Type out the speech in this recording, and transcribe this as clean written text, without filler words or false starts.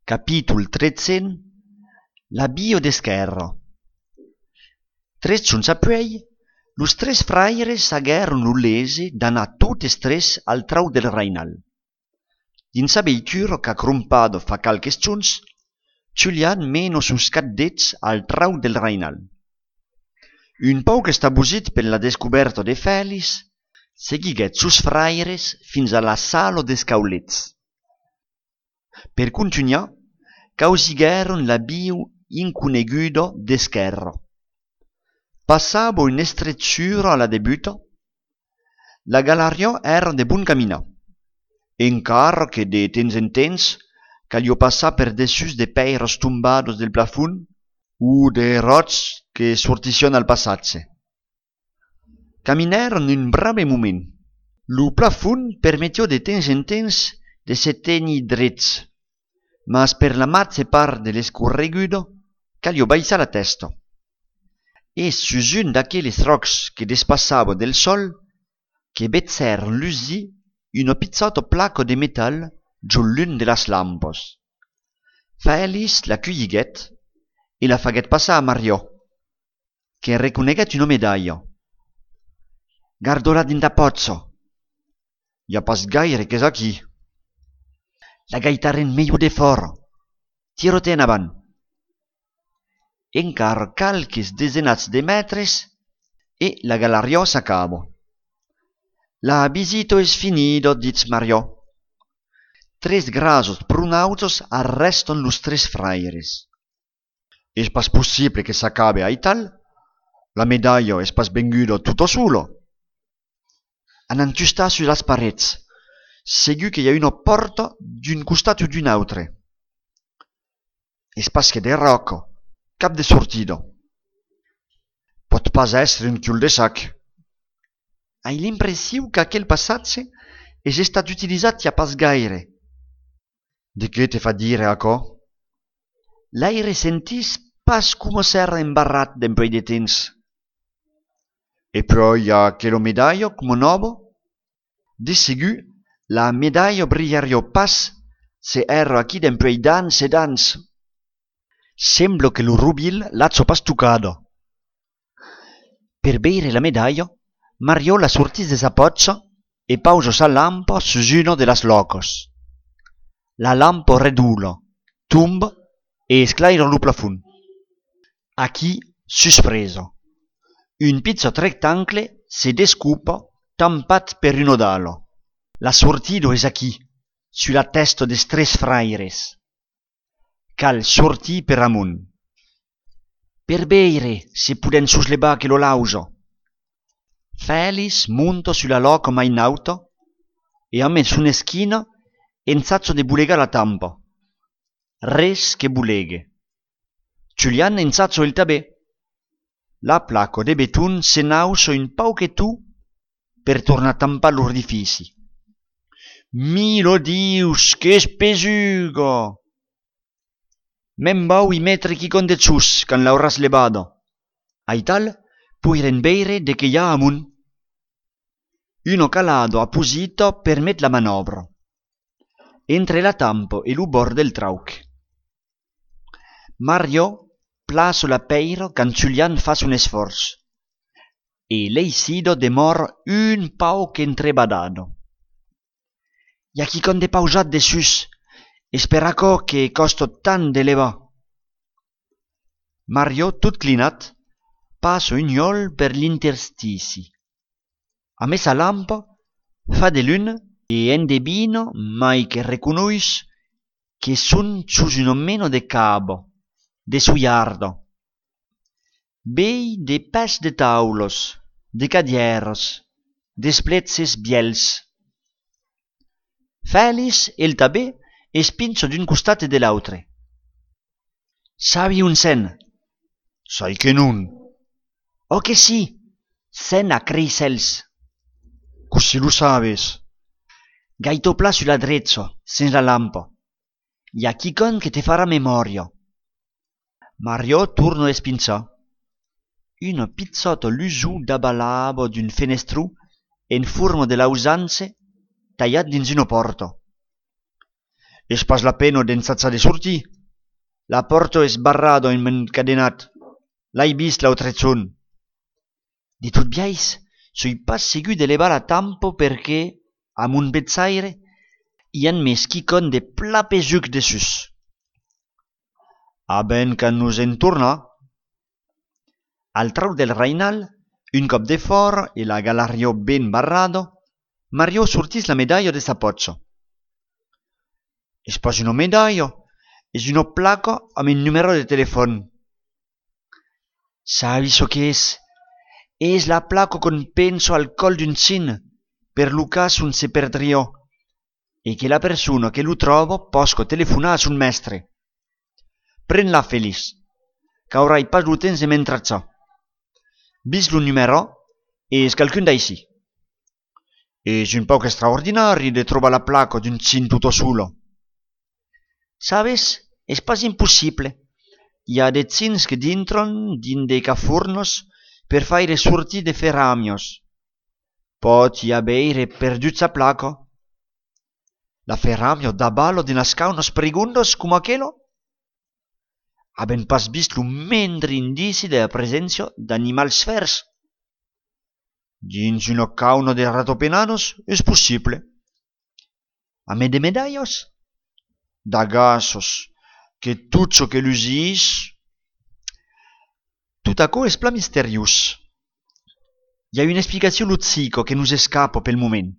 Capítol 13. L'abbio d'esquerro. 3 giorni appuei, los 3 fraires aguèron lo lese d'anar totes 3 al trau del Reinal. Dins sa veitura qu'a crompado fa calques giorns, Julian meno sus caddets al trau del Reinal. Un pauc estabusit per la descoberta de Fèlix, seguiguèt sus fraires fins a la sala des caulets. Per continuar, causiguèron l'abbio inconegudo d'esquerro. Passava una estretura a la debuta. La galeria era de bon caminar, encara que de temps en temps calio passar per dessus de peiros tombados del plafond o de rots que sortission al passatge. Caminèron un brave moment. Lo plafond permetio de temps en temps de se tenir drets, mas per la matza part de l'escorregudo calio baissar la testa. E sus un d'aquelles rocs que despassava del sol, que vetzèron lusir una pizzata placa de metal giù l'un de las lampos. Fèlix la cueiguèt e la faguèt passar a Mario, que reconeguèt una medaglia. Garda-la dinta pozzo. Ja pas gaire qu'és aquí. La gaitaren meio de fora. Tira-te en avant. Encara calques desenats de metres e la galeria s'acaba. La visita es finida, dits Mario. 3 grasos prunautos arrestan los 3 fraires. Es pas possible que s'acabe ai tal? La medaglia es pas venguda tutto solo. Han entustat sus las parets, segur que hi ha una porta d'un costat o d'un altre. Es pas que de roca, cap de sortida. Pot pas èsser un cul-de-sac. Hai l'impressió que aquel passatge és estat utilitzat ja pas gaire. De què te fa dire aquò? L'aire sentís pas com s'era embarrat dempuèi de temps. E poi hi ha aquella medaglia come nova. De segur, la medaglia brillaria pas se era aquí dempuèi d'ans e d'ans. Sembla que lo rubil l'azzo pas tuccada. Per beire la medaglia, Mario la sortís de sa pozza e pausa sa lampa sus una de las locos. La lampa redula, tumba e esclaira lo plafond. Aquí, suspreso. Un pizzat rectangle se descupa tampat per un odalo. La sortida és aquí, sulla testa des 3 fraires. Cal sortir per amunt. Per beire, se puden suslevar che lo lauso. Fèlix monta sulla loca mai in auto e a me su un'eschina enzazzo de bulega la tampa. Res che buleghe. Julian enzazzo il tabè. La placa de beton se nausa un pauquetù per tornar a tampar l'orifici. Milo Dius, che spesuga! Me'n vau i metri chi con de zus, can l'auràs levada. Ai tal, puiren beire de che hi ha amunt. Uno calado apposita permet la manovra. Entre la tampa e lo bord del trauc. Mario plaça la peira can Julian fas un esforç. E l'eisido demor un pauc entrebadado. I a qui con de pausat de sus, esperaco que costa tant d'elevar. Mario, tot clinat, passa un iol per l'interstici. A me sa lampa fa de luna e endevina mai che reconuis che son sus un meno de cabo, de suiarda. Bei de pes de taulos, de cadieres, d'espletzes biels. Fèlix el tabè es pinça d'un costat e de l'autre. Sabi un sen? Sai que non. Oh que sí, sen a creisels. Così lo sabes. Gaito pla sulla drezza, sen la lampa. I a chicon che te farà memoria. Mario torna a espinzar. Una pizzata lusù d'abalaba d'un fenestru en forma de lausanze tallat dins una porta. És pas la pena d'ensatjar de sortir. La porta és barrada i encadenat. L'hai vist l'altre zon. De tot biais, soi pas segur de levar la tampo perquè, amb un betsaire, hi han més quicon de pla pesuc de sus. A ben que nos en torna. Al trau del Reinal, un cop de fort e la galario ben barrado, Mario sortis la medaglia de sa pocho. És pas una medaglia, és una placa amb un numero de telefon. Sabis o que és? És la placa con penso al col d'un cin, per lo cas un se perdriò, e che la persona che lo trovo posco telefonar a son mestre. Pren-la, Feliç, qu'aurai pas lo temps de m'entrarçar. Vis lo numero e és quelqu'un d'així. És un poc extraordinari de trobar la placa d'un cin tutto solo. Sabes, és pas impossible. Hi ha de cins que dintron din de cafornos per faire sortir de ferramios. Pot hi haver perdut sa placa. La ferramio da ballo de nascar unos pregundos como aquello? Haben pas vist lo mendre indici de la presència d'animals fers. Dins una cauna de ratopenanos és possible. A me de medallos? D'agassos, que tot ce que l'usís... Tout aquò és pla misteriós. Hi ha una explicació lotzica que nos escapa pel moment.